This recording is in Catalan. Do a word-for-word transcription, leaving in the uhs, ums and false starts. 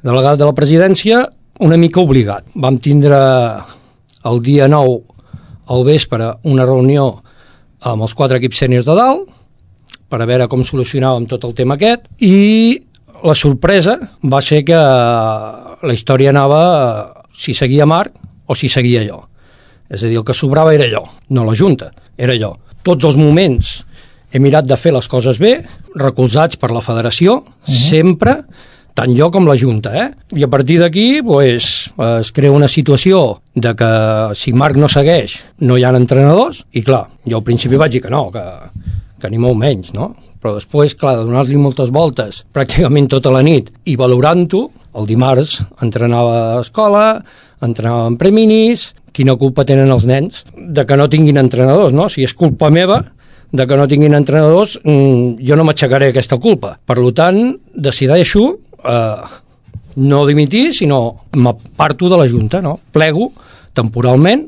delegat de la presidència, una mica obligat. Vam tindre el dia nou al vespre una reunió amb els quatre equips sèniors de dalt per a veure com solucionàvem tot el tema aquest, i la sorpresa va ser que la història anava si seguia Marc o si seguia jo. És a dir, el que sobrava era allò, no la Junta, era allò. Tots els moments he mirat de fer les coses bé, recolzats per la federació, uh-huh. sempre, tant jo com la Junta, eh? I a partir d'aquí pues, es crea una situació de que si Marc no segueix no hi ha entrenadors, i clar, jo al principi vaig dir que no, que, que ni molt menys, no? Però després, clar, de donar-li moltes voltes pràcticament tota la nit i valorant-ho, el dimarts entrenava a escola, entrenava en preminis, quina culpa tenen els nens de que no tinguin entrenadors, no? Si és culpa meva de que no tinguin entrenadors, jo no m'aixecaré aquesta culpa. Per tant, decideixo eh, no dimitir, sinó m'aparto de la Junta, no? Plego temporalment